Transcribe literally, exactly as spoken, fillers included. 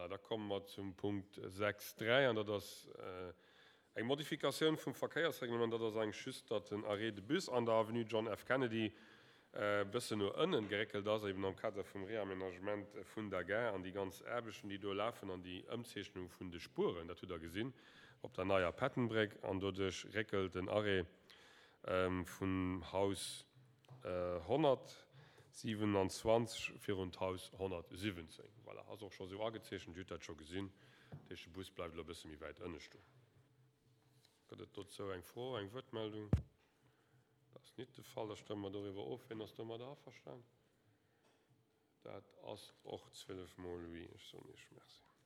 Voilà, da komme mer zum Punkt sechs dräi, an dat ass eng Modifikatioun vum Verkéiersreglement. Dat ass eigentlech just, datt den Arrêt de bus an der Avenue John F. Kennedy e bëssen no ënnen geréckelt ass, eben am Kader vum Réaménagement vun der Gare an déi ganz Aarbechten, déi do lafen, an déi Ëmzeechnung vun de Spueren, dat hutt Der gesinn op der neier Pattonbréck, an doduerch réckelt den Arrêt vum Haus honnertsiwenanzwanzeg virun d'Haus honnertsiwwenzéng. Voilà, ass och scho sou agezeechent, Dir hutt dat scho gesinn. Dat heescht, de Bus bleift elo e bësse méi wäit ënne stoen. Gëtt et dozou eng Fro, eng Wuertmeldung? Dat ass nit de Fall. Da stëmme mer doriwwer of. Wien ass domadder averstanen? Dat ass och zwielef mol oui. Ech soen Iech Merci.